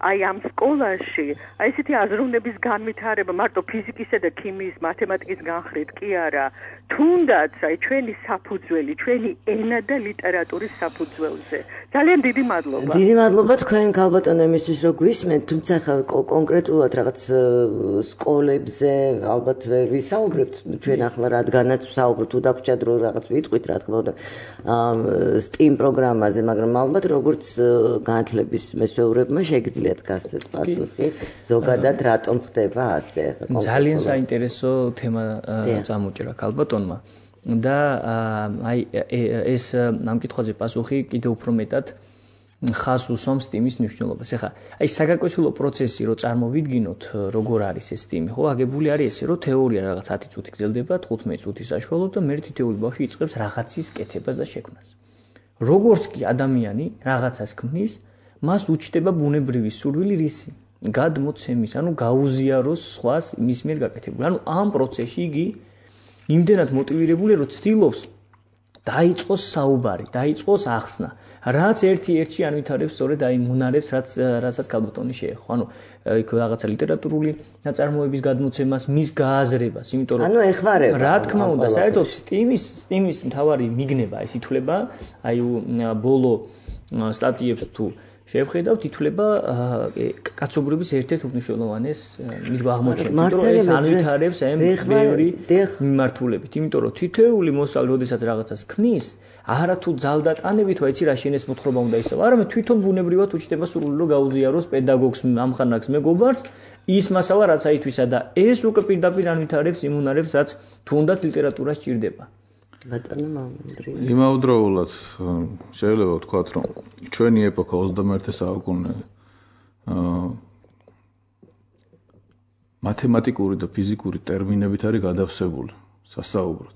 აი ამ სკოლაში აი ესეთი აზროვნების განვითარება მარტო ფიზიკისა და ქიმიის მათემატიკის განხრით კი არა თუნდაც აი ჩვენი საფუძველი ჩვენი ენა და ლიტერატურის საფუძველზე ძალიან დიდი მადლობა დიდი მადლობა თქვენ ქალბატონო იმისთვის რომ გვისმენთ თუმცა ხა კონკრეტულად რაღაც სკოლებზე ალბათ ვერ ვისაუბრებთ ჩვენ ახლა რადგანაც ვსაუბრობთ თუ დაგვრჩათ რომ რაღაც ვიტყვით რა თქმა უნდა STEAM პროგრამაზე მაგრამ ალბათ როგორც განათლების მესვეურებმა შეგიძლიათ გასცეთ პასუხი ზოგადად რატომ ხდება ასე ძალიან საინტერესო თემა წამოჭრა ქალბატონმა და აი ეს ამ კითხვაზე პასუხი კიდევ უფრო მეტად ხას უსვამს STEAM-ის მნიშვნელობას. ეხლა აი საგაკვეთილო პროცესი რო წარმოვიდგინოთ როგორ არის ეს STEAM-ი, ხო, აგებული არის ესე, რომ თეორია რაღაც 10 წუთი გრძელდება 15 წუთის საშუალოდ და მე თითოეული ბავშვი იწყებს რაღაცის კეთებას და შექმნას. როგორც კი ადამიანი რაღაცას ქმნის, მას უჩნდება ბუნებრივი სურვილი რისი? გადმოცემის, ანუ გაუზიაროს სხვას მის მიერ გაკეთებული. ანუ ამ პროცესში იგი იმდენად მოტივირებულია, რომ ცდილობს დაიწყოს საუბარი, დაიწყოს ახსნა. რაც ერთ-ერთი ანვითარებს სწორედ აი მონარებს, რასაც ქალბატონი შეეხო. ანუ იქ რაღაცა ლიტერატურული ნაწარმოების გადმოცემას, მის გააზრებას, იმიტომ რომ ანუ ეხმარება. რა თქმა უნდა, საერთოდ STEAM-ის მთავარი მიგნება ეს ითვლება, აი ბოლო სტატიებს თუ შევხედავთ, ითვლება კაცობრიობის ერთ-ერთ უმნიშვნელოვანეს აღმოჩენას. იმიტომ რომ ეს ანვითარებს ამ ბევრი მიმართულებით. იმიტომ რომ თითოეული მოსწავლე, როდესაც რაღაცას ქმნის, არა თუ ძალდატანებით, ვაიცი რა შენეს მოთხრობა უნდა ისავა, არამედ თვითონ ბუნებრივად უჩნდება სურვილი რომ გაუზიაროს პედაგოგს, ამხანაგს, მეგობარს, ის მასალა რაც აითვისა და ეს უკვე პირდაპირ ანვითარებს იმ უნარებს რაც თუნდაც ლიტერატურას ჭირდება. ბატონო მამანდრი. იმავდროულად შეიძლება ვთქვათ, რომ ჩვენი ეპოქა 21 საუკუნე მათემატიკური და ფიზიკური ტერმინებით არის გადავსებული სასაუბროდ.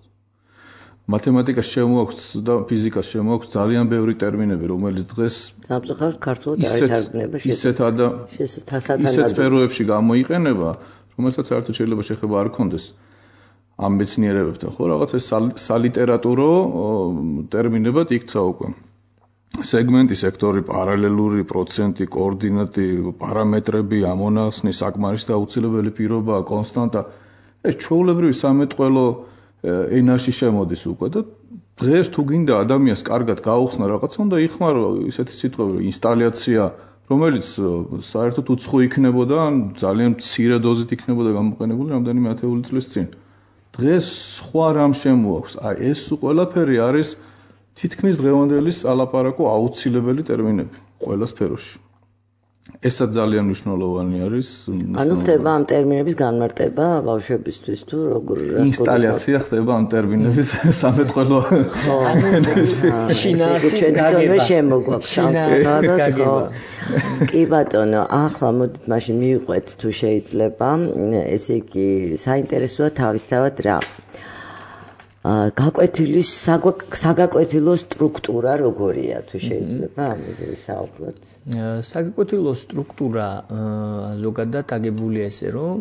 მათემატიკას შემოაქვს და ფიზიკას შემოაქვს ძალიან ბევრი ტერმინები, რომელიც დღეს სამწუხაროდ ქართულად არ ითარგმნება ისეთ სფეროებში გამოიყენება, რომელსაც საერთოდ შეიძლება შეხება არ ქონდეს ამ მეცნიერებებთან. ხო, რაღაც ეს სალიტერატურო ტერმინებად იქცა უკვე. სეგმენტი, სექტორი, პარალელური, პროცენტი, კოორდინატი, პარამეტრები, ამონახსნი, საკმარისი და აუცილებელი პირობა, კონსტანტა. ეს ჩვეულებრივი სამეტყველო ენაში შემოდის უკვე და დღეს თუ გინდა ადამიანს კარგად გაუხსნა რაღაცა, უნდა იხმარო ისეთი სიტყვები, ინსტალაცია, რომელიც საერთოდ უცხო იქნებოდა, ან ძალიან მცირე დოზით იქნებოდა გამოყენებული რამდენიმე ათეული წლის წინ. დღეს სხვა რამ შემოაქვს. აი ეს ყველაფერი არის თითქმის დღევანდელი ალაპარაკო აუცილებელი ტერმინები ყველა სფეროში. ესაც ძალიან მნიშვნელოვანი არის. ანუ ხდება ამ ტერმინების განმარტება ბავშვებისთვის თუ როგორ ინსტალაცია ხდება ამ ტერმინების სამეთყველო შინაარსის შემოგვაქვს სამწუხაროდ. კი ბატონო, ახლა მოდით მაშინ მივიყვეთ თუ შეიძლება. ესე იგი საინტერესოა თავისთავად რა. გაკვეთილი საგაკვეთილო სტრუქტურა როგორია თუ შეიძლება ამაზე ვისაუბროთ? საგაკვეთილო სტრუქტურა ზოგადად აგებულია ესე რომ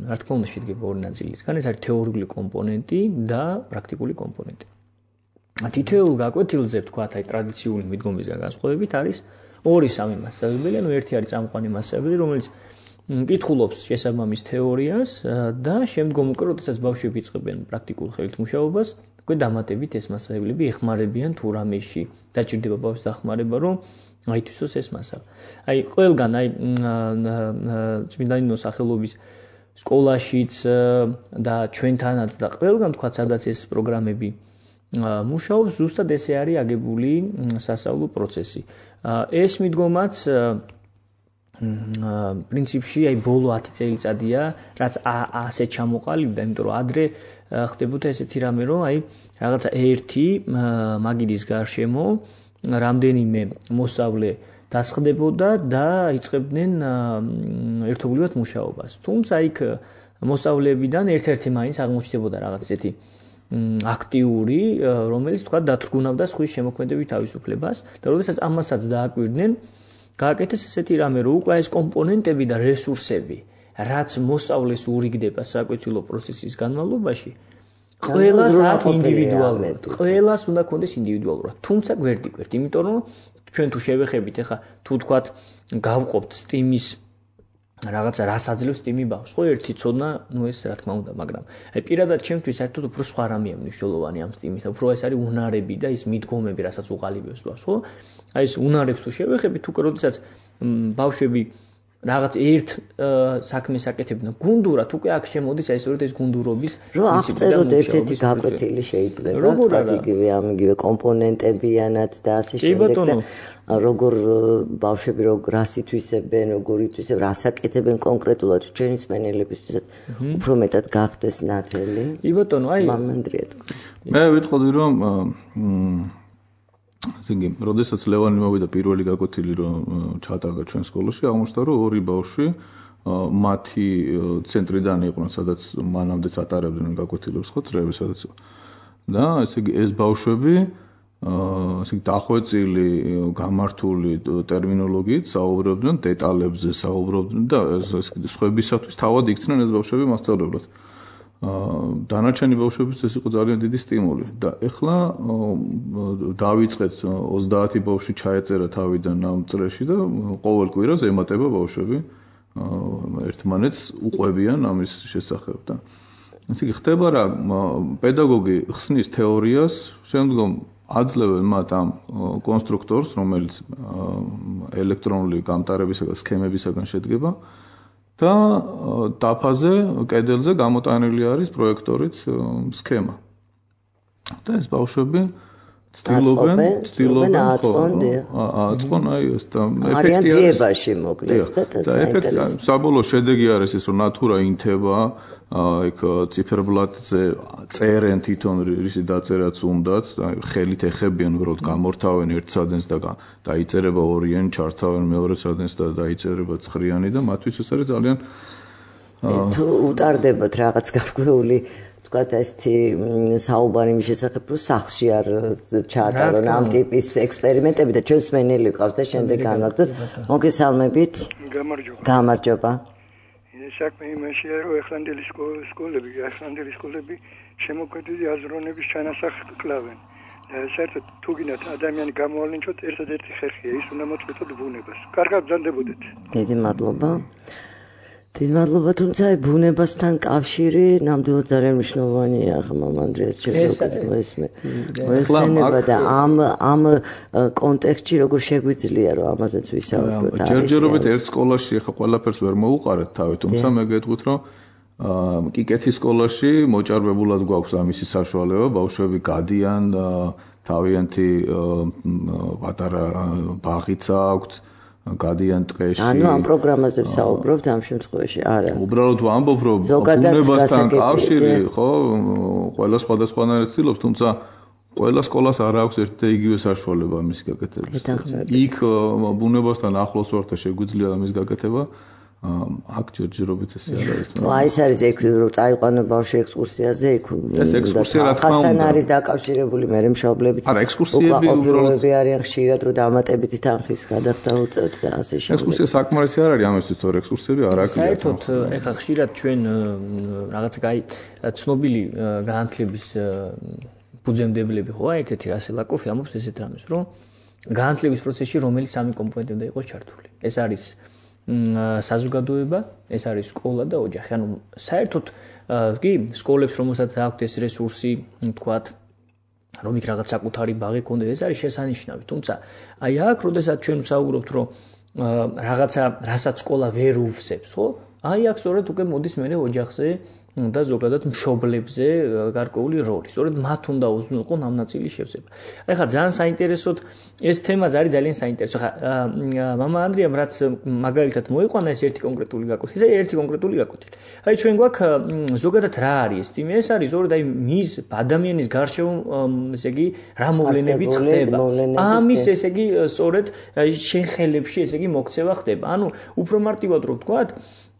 რა თქმა უნდა შედგება ორი ნაწილისგან, ეს არის თეორიული კომპონენტი და პრაქტიკული კომპონენტი. თითოეულ გაკვეთილზე ვთქვათ, აი ტრადიციული მიდგომისგან განსხვავებით არის 2-3 მასწავლებელი, ანუ ერთი არის წამყვანი მასწავლებელი, რომელიც კითხულობს შესაბამის თეორიას და შემდგომ უკვე როდესაც ბავშვები იწყებენ პრაქტიკულ ხელით მუშაობას, უკვე დამატებით ეს მასწავლებლები ეხმარებიან თუ რამეში დაჭირდება ბავშვის დახმარება, რომ აითვისოს ეს მასალა. აი ყველგან აი წმინდა ნინოს სახელობის სკოლაშიც და ჩვენთანაც და ყველგან თქვა სადაც ეს პროგრამები მუშაობს, ზუსტად ესე არის აგებული სასწავლო პროცესი. ეს მიდგომაც პრინციპში აი ბოლო 10 წელიწადია, რაც ასე ჩამოყალიბდა, იმიტომ რომ ადრე ხდებოდა ესეთი რამე, რომ აი რაღაცა ერთი მაგიდის გარშემო რამდენიმე მოსწავლე დასხდებოდა და იწყებდნენ ერთობლივად მუშაობას. თუმცა იქ მოსწავლეებიდან ერთ-ერთი მაინც აღმოჩნდებოდა რაღაც ესეთი აქტიური, რომელიც თქვა დათრგუნავდა სხვის შემოქმედებით თავისუფლებას და როდესაც ამასაც დააკვირდნენ, გააკეთეს ესეთი რამე, რომ უკვე ეს კომპონენტები და რესურსები, რაც მოსწავლეს ურიგდება საკვეთილო პროცესის განმავლობაში, ყველას აქვს ინდივიდუალურად. ყველას უნდა ქონდეს ინდივიდუალურად. თუმცა გვერდიგვერდ, იმიტომ რომ ჩვენ თუ შევეხებით, ახლა თუ თქვათ გავყოფთ სტიმის რაღაცა რას აძლევს სტიმი ბავშვს, ხო ერთი ცოდნა, ნუ ეს რა თქმა უნდა, მაგრამ აი პირადად ჩემთვის საერთოდ უფრო სხვა რამეა მნიშვნელოვანი ამ სტიმის და უფრო ეს არის უნარები და ის მიდგომები, რასაც უყალიბებს ბავშვს, ხო? აი ეს უნარებს თუ შევეხებით, უკვე როდესაც ბავშვები რაღაც ერთ საქმეს აკეთებდნენ გუნდურად, უკვე აქ შემოდის აი სწორედ ეს გუნდურობის რომ აღწეროთ ერთ-ერთი გაკვეთილი შეიძლება, თქვათ იგივე კომპონენტებიანად და ასე შემდეგ და როგორ ბავშვები რას ითვისებენ, როგორ ითვისებენ, რას აკეთებენ კონკრეტულად ჩვენი სპენელებისთვისაც უფრო მეტად გახდეს ნათელი. კი ბატონო, აი მამანდრია თქვა. მე ვიტყოდი რომ ისინი, როდესაც ლევანი მოვიდა პირველი გაკვეთილი რომ ჩატარდა ჩვენ სკოლაში, აღმოჩნდა რომ ორი ბავშვი მათი ცენტრიდან იყვნენ, სადაც მანამდეც ატარებდნენ გაკვეთილებს, ხო, წრეებს, სადაც და ესე იგი ეს ბავშვები ასე იგი დახვეწილი, გამართული ტერმინოლოგიით საუბრობდნენ, დეტალებზე საუბრობდნენ და სხვებისათვის თავად იქცნენ ეს ბავშვები მასწავლებლად. დანარჩენი ბავშვებისთვის ეს იყო ძალიან დიდი სტიმული და ეხლა დავიწყეთ 30 ბავშვი ჩაეწერა თავიდან ამ წრეში და ყოველ კვირას ემატება ბავშვები ერთმანეთს უყვებიან ამის შესახებ და ესე იგი ხდება რა პედაგოგი ხსნის თეორიას, შემდგომ აძლევენ მათ ამ კონსტრუქტორს, რომელიც ელექტრონული გამტარებისაგან სქემებისაგან შედგება და დაფაზე, კედელზე გამოტანილი არის პროექტორით სქემა. და ეს ბავშვები ცდილობენ აწყონ აი ეს და ეფექტი არის ძიებაში მოკლედ და ეფექტი საბოლოო შედეგი არის ის რომ ნატურა ინთება იქ ციფერბლატზე წერენ თვითონ რისი დაწერაც უნდათ ხელით ეხებიან უბრალოდ გამორთავენ ერთ სადენს და დაიწერება ორიანი ჩართავენ მეორე სადენს და დაიწერება ცხრიანი და მათთვის ეს არის ძალიან თუ უტარდებათ რაღაც გარკვეული ვთქვათ ესეთი საუბარი მის შესახებ რომ სახლში არ ჩაატარონ ამ ტიპის ექსპერიმენტები და ჩვენს მენელი ყავს და შემდეგ განვაგრძოთ მოგესალმებით გამარჯობა საქმე იმაშია რომ ახლანდელი სკოლები შემოქმედილი აზროვნების ჩანასახს კლავენ და საერთოდ თუ გინდათ ადამიანი გამოვალინჩოთ ერთადერთი ხერხია ის უნდა მოწყვეტოთ ბუნებას კარგად ბრძანდებოდეთ დიდი მადლობა თუმცა ბუნებასთან კავშირი ნამდვილად ძალიან მნიშვნელოვანია ახლა მანდრიას მოესმენება და ამ კონტექსტში როგორ შეგვიძლია რომ ამაზეც ვისაუბროთ ჯერჯერობით ერთ სკოლაში ახლა ყველაფერს ვერ მოუყარეთ თავი თუმცა მე გეტყვით რომ კიკეთის სკოლაში მოჭარბებულად გვაქვს ამისი საშუალება ბავშვები გადიან თავიანთი პატარა ბაღიც აქვთ გადიან ტყეში. ანუ ამ პროგრამაზე ვსაუბრობთ ამ შემთხვევაში, არა. უბრალოდ ვამბობ, რომ ბუნებასთან კავშირი, ხო, ყველა სხვადასხვანაირად ცდილობს, თუმცა ყველა სკოლას არ აქვს ერთი და იგივე საშუალება ამის გაკეთების. იქ ბუნებასთან ახლოს ვარ და შეგვიძლია ამის გაკეთება. აქ ჯერჯერობით ესე არ არის. აი ეს არის რომ წაიყვანო ბავშვი ექსკურსიაზე, იქ ეს ექსკურსია რა თქმა უნდა. ხასთან არის დაკავშირებული მე მშობლებით. არა, ექსკურსიები უბრალოდ არიან ხშირად რომ დამატებითი თანხის გადახდა უწევთ და ასე შემდეგ. ექსკურსია საკმარისი არ არის ამისთვის, თორე ექსკურსიები არ აქვს. საერთოდ ეხლა ხშირად ჩვენ რაღაც ცნობილი განათლების ფუძემდებლები ხო ერთ-ერთი რასელაკოვი ამბობს ესეთ რამეს, რომ განათლების პროცესში რომელიც სამი კომპონენტი უნდა იყოს ჩართული. ეს არის საზოგადოება, ეს არის სკოლა და ოჯახი. ანუ საერთოდ კი სკოლებს რომელსაც აქვთ ეს რესურსი, თქვათ, რომ იქ რაღაც საკუთარი ბაღი ქონდეს, ეს არის შესანიშნავი. თუმცა აი აქ, როდესაც ჩვენ ვსაუბრობთ, რომ რაღაცა რასაც სკოლა ვერ უსწრებს, ხო? აი აქ სწორედ უკვე მოდის მე ოჯახზე და ზოგადად მშობლებზე გარკვეული როლი. სწორედ მათ უნდა უზრუნველყონ ამ ნაწილის შევსება. ეხლა ძალიან საინტერესოდ ეს თემა არის ძალიან საინტერესო. ხა მამა ანდრიამ რაც მაგალითად მოიყვანა ეს ერთი კონკრეტული გაკვეთილი და ერთი კონკრეტული გაკვეთილი. აი ჩვენ გვაქვს ზოგადად რა არის ეს თემა? ეს არის სწორედ აი მის ადამიანის გარშემო ესე იგი რა მოვლენები ხდება. ამის ესე იგი სწორედ შენ ხელებში ესე იგი მოქცევა ხდება. ანუ უფრო მარტივად რო ვთქვათ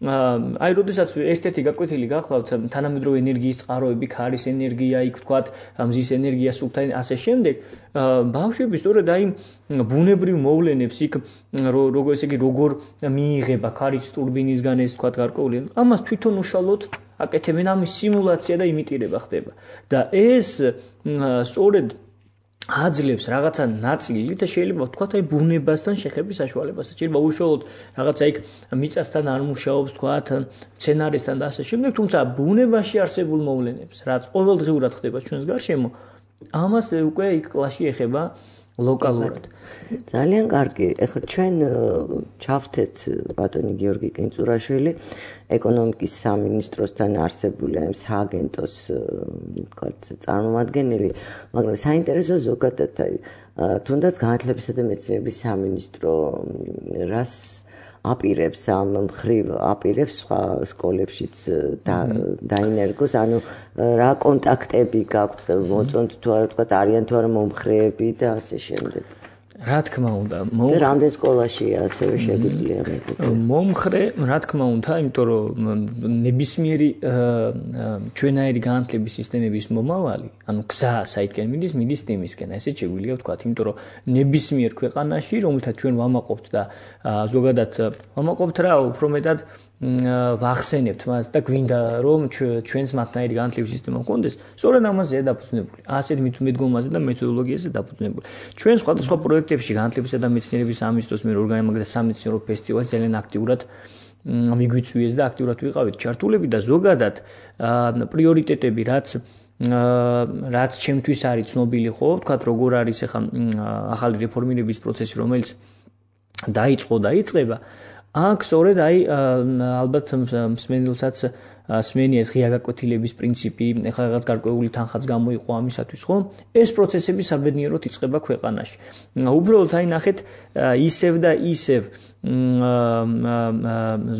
აი როდესაც ერთ-ერთი გაკვეთილი გახლავთ თანამედროვე ენერგიის წყაროები, ქარის ენერგია, იქ ვთქვათ, მზის ენერგია, სუფთა ასე შემდეგ, ბავშვები სწორედ აი ბუნებრივ მოვლენებს იქ როგორ ესე იგი როგორ მიიღება ქარის ტურბინისგან ეს ვთქვათ გარკვეული, ამას თვითონ უშუალოდ აკეთებენ ამის სიმულაცია და იმიტირება ხდება. და ეს სწორედ აძლევს რაღაცა ნაწილი და შეიძლება ვთქვათ აი ბუნებასთან შეხების საშუალებას. შეიძლება უშუალოდ რაღაცა იქ მიწასთან არ მუშაობს, ვთქვათ, მცენარესთან და ასე შემდეგ, თუმცა ბუნებაში არსებულ მოვლენებს, რაც ყოველდღიურად ხდება ჩვენს გარშემო, ამას უკვე იქ კლასში ეხება ლოკალურად. ძალიან კარგი. ეხლა ჩვენ ჩავთეთ ბატონი გიორგი კინწურაშვილი ეკონომიკის სამინისტროსთან არსებული ამ სააგენტოს ვთქვათ წარმომადგენელი, მაგრამ საინტერესო ზოგადად აი თუნდაც განათლებისა და მეცნიერების სამინისტრო რას აპირებს ამ მხრივ აპირებს სხვა სკოლებშიც დაინერგოს, ანუ რა კონტაქტები გაქვთ, მოწონთ თუ არა ვთქვათ არიან თუ არა მომხრეები და ასე შემდეგ. რა თქმა უნდა, რამდენ სკოლაშია ასევე შეგვიძლია მომხრე, რა თქმა უნდა, იმიტომ რომ ნებისმიერი ჩვენაირი განათლების სისტემების მომავალი, ანუ გზა საითკენ მიდის თემისკენ, ესეც შეგვიძლია ვთქვათ, იმიტომ რომ ნებისმიერ ქვეყანაში, რომელთაც ჩვენ ვამაყობთ და ზოგადად ვამაყობთ რა, უფრო მეტად ვახსენებთ მას და გვინდა რომ ჩვენს მათნაირი განათლების სისტემა გქონდეს, სწორედ ამაზე დაფუძნებული. ასეთ მიდგომაზე და მეთოდოლოგიაზე დაფუძნებული. ჩვენ სხვადასხვა პროექტებში განათლებისა და მეცნიერების სამინისტროს მიერ ორგანიზებული სამეცნიერო ფესტივალი ძალიან აქტიურად მიგვიწვიეს და აქტიურად ვიყავით ჩართულები და ზოგადად პრიორიტეტები რაც ჩემთვის არის ცნობილი ხო, ვთქვათ, როგორ არის ახლა ახალი რეფორმირების პროცესი, რომელიც დაიწყება აქ სწორედ აი ალბათ მსმენელსაც სმენია ეს ღია გაკვეთილების პრინციპი, ეხლა რაღაც გარკვეული თანხაც გამოიყო ამისათვის, ხო? ეს პროცესები საბედნიეროდ იწყება ქვეყანაში. უბრალოდ აი ნახეთ ისევ და ისევ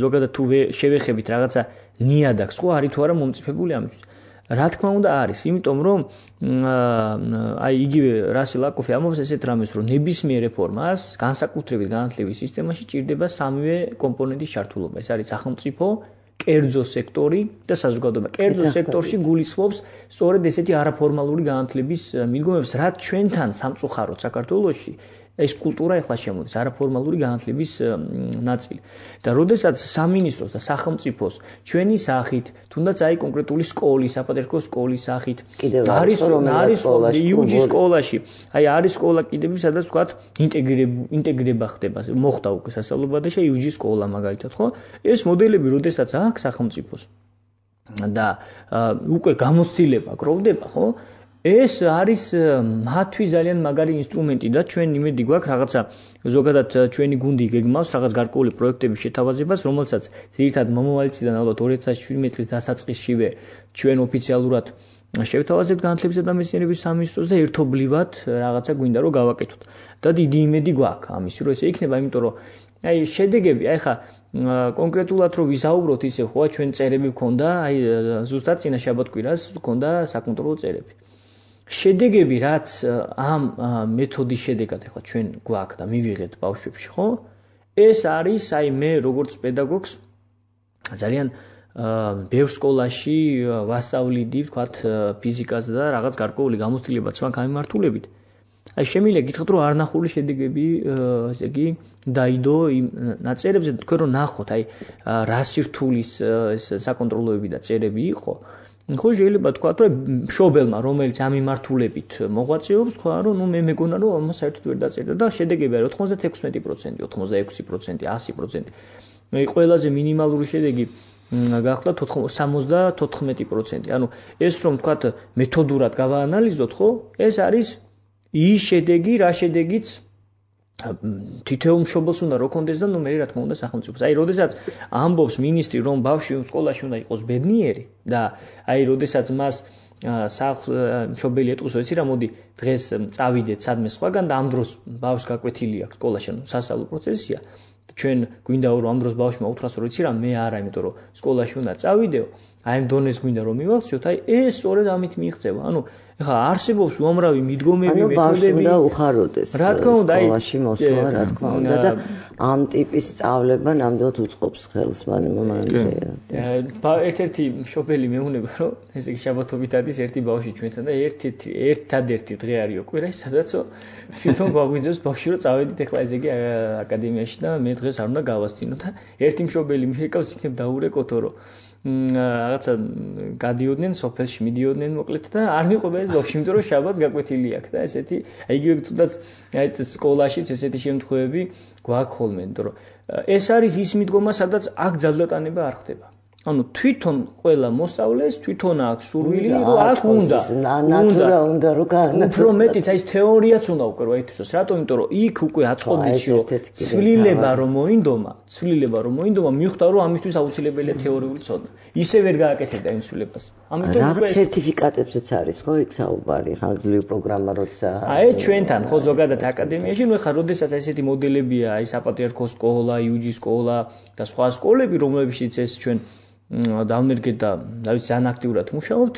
ზოგადად თუ შევეხებით რაღაცა ნიადაგს, ხო, არის თუ არა მომწიფებული ამისთვის. რა თქმა უნდა არის, იმიტომ რომ აი იგივე რასი ლაკოფი ამბობს ესეთ რამეს, რომ ნებისმიერ რეფორმას განსაკუთრებით განათლების სისტემაში ჭირდება სამივე კომპონენტის ჩართულობა. ეს არის სახელმწიფო, კერძო სექტორი და საზოგადოება. კერძო სექტორში გულისხმობს სწორედ ესეთი არაფორმალური განათლების მიდგომებს, რაც ჩვენთან სამწუხაროდ საქართველოში ეს კულტურა ეხლა შემოდის, არაფორმალური განათლების ნაწილი. და როდესაც სამინისტროს და სახელმწიფოს ჩვენი სახით, თუნდაც აი კონკრეტული სკოლის, საპატრიარქო სკოლის სახით არის იუჯი სკოლაში, აი არის სკოლა კიდევ სადაც ვთქვათ ინტეგრება ხდება, მოხდა უკვე სასწავლებლად და იუჯი სკოლა მაგალითად, ხო? ეს მოდელები როდესაც აქვს სახელმწიფოს და უკვე გამოცდილება გროვდება, ხო? ეს არის მათთვის ძალიან მაგარი ინსტრუმენტი და ჩვენ იმედი გვაქვს რაღაცა ზოგადად ჩვენი გუნდი გეგმავს რაღაც გარკვეული პროექტების შეთავაზებას, რომელსაც ძირითადად მომავალი წლიდან ალბათ 2017 წლის დასაწყისშივე ჩვენ ოფიციალურად შევთავაზებთ განათლებისა და მეცნიერების სამინისტროს და ერთობლივად რაღაცა გვინდა რომ გავაკეთოთ. და დიდი იმედი გვაქვს ამის, რომ ესე იქნება, იმიტომ რომ აი შედეგები, აი ხა კონკრეტულად რომ ვისაუბროთ ისე ხო ჩვენ წერები გქონდა, აი ზუსტად წინა შაბათ-კვირას გქონდა საკონტროლო წერები. შედეგები რაც ამ მეთოდის შედეგად ახლა ჩვენ გვაქვს და მივიღეთ ბავშვებში, ხო? ეს არის აი მე როგორც პედაგოგს ძალიან ბევრ სკოლაში ვასწავლიდი, ვთქვათ, ფიზიკას და რაღაც გარკვეული გამოცდილებაც მაქვს ამ მიმართულებით. აი შემიძლია გითხრათ რომ არნახული შედეგები, ესე იგი, დაიდო იმ ნაწერებზე, თქვენ რომ ნახოთ, აი რა სირთულის ეს საკონტროლოები და წერები იყო. ხო შეიძლება თქვა რომ მშობელმა რომელიც ამ მიმართულებით მოღვაწეობს თქვა რომ ნუ მე მეგონა რომ საერთოდ ვერ დაწერდა და შედეგები არის 96%, 86%, 100%. მე ყველაზე მინიმალური შედეგი გახდა 74%. ანუ ეს რომ თქვა მეთოდურად გავაანალიზოთ, ხო? ეს არის ის შედეგი, რა შედეგიც თითოეულ მშობელს უნდა რო კონდეს და ნუ მე რა თქმა უნდა სახელმწიფოს. აი, როდესაც ამბობს მინისტრი რომ ბავშვი სკოლაში უნდა იყოს ბედნიერი და აი, როდესაც მას მშობელი ეტყვის, ვიცი რა, მოდი დღეს წავიდეთ სადმე სხვაგან და ამ დროს ბავშვს გაკვეთილი აქვს სკოლაში, ანუ სასწავლო პროცესია. ჩვენ გვინდა რომ ამ დროს ბავშვმა უთხრას რომ ვიცი რა, მე არა, იმიტომ რომ სკოლაში უნდა წავიდეო. აი, ამ დონეს გვინდა რომ მივახციოთ, აი, ეს სწორედ ამით მიიღწევა. ანუ ეხლა არსებობს უამრავი მიდგომები, მეთოდები და უხაროდეს სკოლაში მოსვლა, რა თქმა უნდა და ამ ტიპის სწავლება ნამდვილად უწყობს ხელს ერთ-ერთი მშობელი მეუბნება რომ ესე იგი შაბათობით არის ერთი ბავშვი ჩვენთან და ერთადერთი დღე არის კვირაში სადაც თვითონ გვაგვიძებს ბავშვი რომ წავედით ეხლა ესე იგი აკადემიაში და მე დღეს არ უნდა გავასწინო და ერთი მშობელი მიყავს იქნებ დაურეკოთო რომ რაღაცა გადიოდნენ სოფელში, მიდიოდნენ მოკლედ და არ მიყვება ეს ბავშვი, იმიტომ რომ შაბათს გაკვეთილი აქვს და ესეთი, აი იგივე თუნდაც აი სკოლაშიც ესეთი შემთხვევები გვაქვს ხოლმე, იმიტომ რომ ეს არის ის მიდგომა, სადაც აქ ძალდატანება არ ხდება. ანუ თვითონ ყველა მოსწავლეს თვითონ აქვს სურვილი, რომ აქ უნდა რომ გაანაცვლოს. უფრო მეტიც აი ეს თეორიაც უნდა უკვე რა ითქვას, რატომ? იმიტომ რომ იქ უკვე აწყობილში ცვლილება რომ მოინდომა, მიხვდა რომ ამისთვის აუცილებელია თეორიული ცოდნა. ისე ვერ გააკეთებდა იმ ცვლილებას. ამიტომ უკვე სერტიფიკატებზეც არის, ხო, იქ საუბარი, ხანგრძლივი პროგრამა როცა აი ჩვენთან ხო ზოგადად აკადემიაში, ნუ ეხლა როდესაც ესეთი მოდელებია, აი საპატრიარქო სკოლა, იუჯი სკოლა და სხვა სკოლები, რომლებშიც ეს ჩვენ დავნერგეთ და დავით ძალიან აქტიურად მუშაობთ.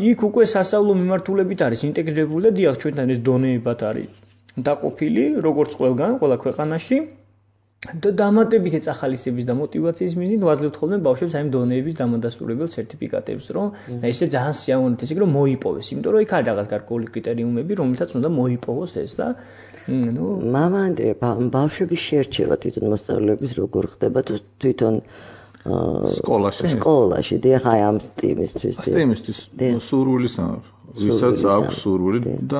იქ უკვე სასწავლო მიმართულებით არის ინტეგრირებული და დიახ ჩვენთან ეს დონეებად არის დაყოფილი, როგორც ყველგან, ყველა ქვეყანაში. და დამატებითი წახალისების და მოტივაციის მიზნით ვაძლევთ ხოლმე ბავშვებს აი დონეების დამადასტურებელ სერტიფიკატებს, რომ ესე ძალიან სიამოვნებით ესე იგი რომ მოიპოვეს, იმიტომ რომ იქ არის რაღაც გარკვეული კრიტერიუმები, რომლითაც უნდა მოიპოვოს ეს და ნუ მამა ანდრია ბავშვების შერჩევა თვითონ მოსწავლეების როგორ ხდება თვითონ სკოლაში დიახ აი ამ სტიმისთვის სურვილის ვისაც აქვს სურვილი და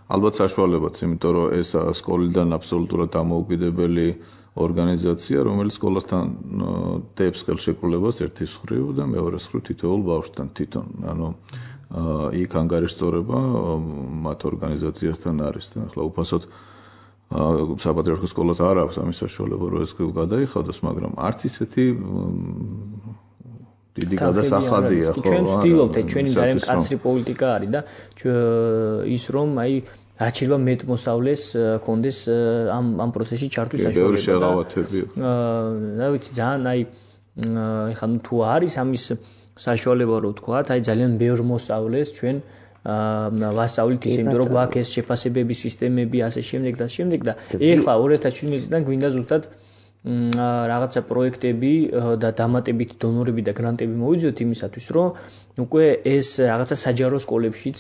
ალბათ საშუალებაც, იმიტომ რომ ეს სკოლიდან აბსოლუტურად დამოუკიდებელი ორგანიზაცია, რომელიც სკოლასთან დებს ხელშეკრულებას ერთის მხრივ და მეორეს მხრივ თითოეულ ბავშვთან თვითონ. ანუ იქ ანგარიშწორება მათ ორგანიზაციასთან არის და ახლა უფასოდ საპატრიარქოს სკოლას არ აქვს ამის საშუალება, რომ ეს გადაიხადოს, მაგრამ არც ისეთი დიდი გადასახადია, ხო? ჩვენ ვცდილობთ, ჩვენი ძალიან მკაცრი პოლიტიკა არის და ის რომ აი რაც შეიძლება მეტ მოსავლეს კონდეს ამ პროცესში ჩართვის საშუალება. ბევრი შეღავათებია. და ვიცი ძალიან აი ეხლა თუ არის ამის საშუალება რომ ვთქვა, აი ძალიან ბევრ მოსავლეს ჩვენ ვასწავლით ისე, იმიტომ რომ გვაქვს ეს შეფასებების სისტემები, ასე შემდეგ და შემდეგ და ეხლა 2017 წლიდან გვინდა ზუსტად რაღაცა პროექტები და დამატებითი დონორები და გრანტები მოვიძიოთ იმისათვის, რომ უკვე ეს რაღაცა საჯარო სკოლებშიც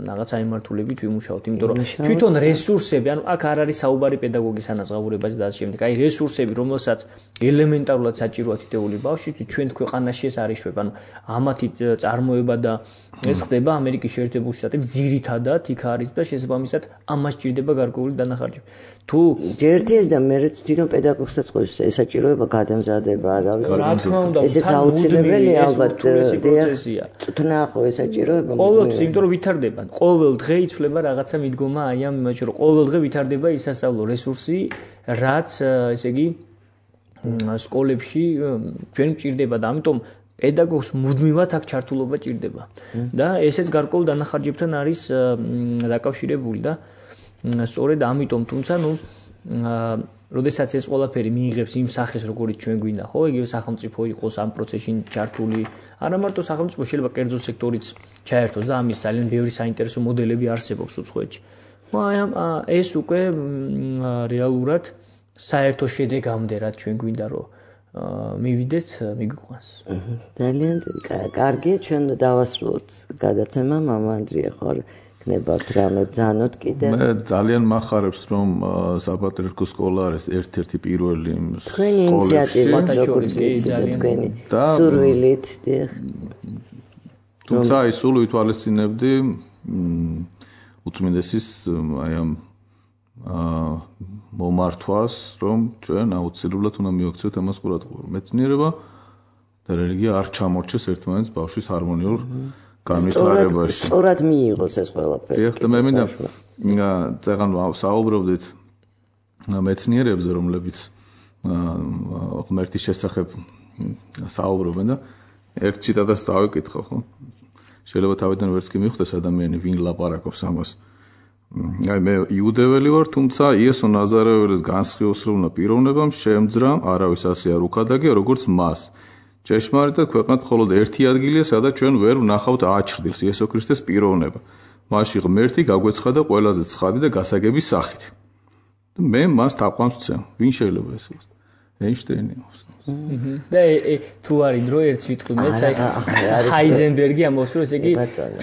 რაღაცა იმართულებით ვიმუშაოთ, იმიტომ რომ თვითონ რესურსები, ანუ აქ არ არის საუბარი პედაგოგის ანაზღაურებაზე და ასე შემდეგ. აი რესურსები, რომელსაც ელემენტარულად საჭიროა თითოეული ბავშვისთვის, ჩვენ ქვეყანაში ეს არ იშვება. ანუ ამათი წარმოება და ეს ხდება ამერიკის შეერთებულ შტატებში ძირითადად იქ არის და შესაბამისად ამას ჭირდება გარკვეული დანახარჯები. თუ ერთი ეს და მე ვცდი რომ პედაგოგსაც ყოს ესაჭიროება გადამზადება, რა ვიცი. ესეც აუცილებელია ალბათ წვნა ხო ესაჭიროება. ყოველთვის, იმიტომ რომ ვითარდება. ყოველ დღე იცვლება რაღაცა მიდგომა აი ამ იმაში, რომ ყოველ დღე ვითარდება ის სასწავლო რესურსი, რაც ესე იგი სკოლებში ჩვენ მჭირდება და ამიტომ პედაგოგს მუდმივად აქ ჩართულობა ჭირდება. და ესეც გარკვეულ დანახარჯებთან არის დაკავშირებული და სწორედ ამიტომ თუმცა როდესაც ეს ყველაფერი მიიღებს იმ სახეს, როგორიც ჩვენ გვინდა, ხო, იგივე სახელმწიფო იყოს ამ პროცესში ჩართული, არა მარტო სახელმწიფო, შეიძლება კერძო სექტორიც ჩაერთოს და ამის ძალიან ბევრი საინტერესო მოდელები არსებობს უცხოეთში. მაგრამ ეს უკვე რეალურად საერთო შედეგამდე რაც ჩვენ გვინდა რომ მივიდეთ, მიგვიყვანს. ძალიან კარგია, ჩვენ დავასრულოთ გადაცემა, მამა ანდრია ხარ ნებავთ რამე ბრძანოთ კიდე. მე ძალიან მახარებს რომ საპატრიარქო სკოლა არის ერთ-ერთი პირველი თქვენი ინიციატივა როგორც ვიცით თქვენი სურვილით დიახ. თუმცა აი სულ ვითვალისწინებდი უწმინდესის აი ამ მომართვას რომ ჩვენ აუცილებლად უნდა მივაქციოთ ამას ყურადღება. მეცნიერება და რელიგია არ ჩამორჩეს ერთმანეთს ბავშვის ჰარმონიულ განვითარებაში. სწორად მიიღოს ეს ყველაფერი. ეხლა მე მინდა წეგან საუბრობდით მეცნიერებზე, რომლებიც ღმერთის შესახებ საუბრობენ და ერთ ციტატას წავიკითხო, ხო? შეიძლება თავიდან ვერც კი მიხვდეს ადამიანი ვინ ლაპარაკობს ამას. აი მე იუდეველი ვარ, თუმცა იესო ნაზარეველის განსხიოსრულმა პიროვნებამ შემძრა არავის ასე არ უქადაგია, როგორც მას. ჭეშმარიტად ქვეყნად მხოლოდ ერთი ადგილია, სადაც ჩვენ ვერ ვნახავთ აჩრდილს, იესო ქრისტეს პიროვნება. მასში ღმერთი გაგვეცხადა ყველაზე ცხადი და გასაგები სახით. მე მას თაყვანს ვცემ. ვინ შეიძლება ეს იყოს? ეინშტეინი. და თუ არის დრო ერთს ვიტყვი მეც აი ჰაიზენბერგი ამბობს რომ ესე იგი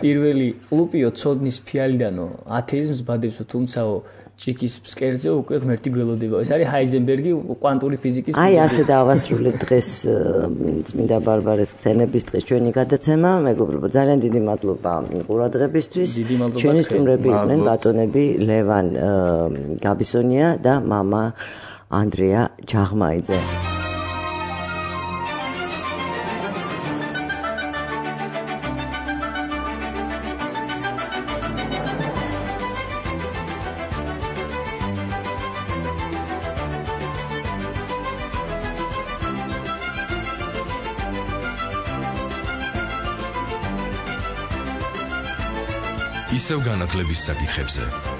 პირველი ყლუპიო ცოდნის ფიალიდანო ათეიზმს ბადებსო თუმცაო ჭიქის ფსკერზე უკვე ღმერთი გველოდება. ეს არის ჰაიზენბერგი კვანტური ფიზიკის. აი ასე დავასრულეთ დღეს წმინდა ბარბარეს ხსენების დღეს ჩვენი გადაცემა. მეგობრებო, ძალიან დიდი მადლობა ყურადღებისთვის. ჩვენი სტუმრები იყვნენ ბატონები ლევან გაბისონია და მამა ანდრია ჯაღმაიძე. ისევ განათლების საკითხებზე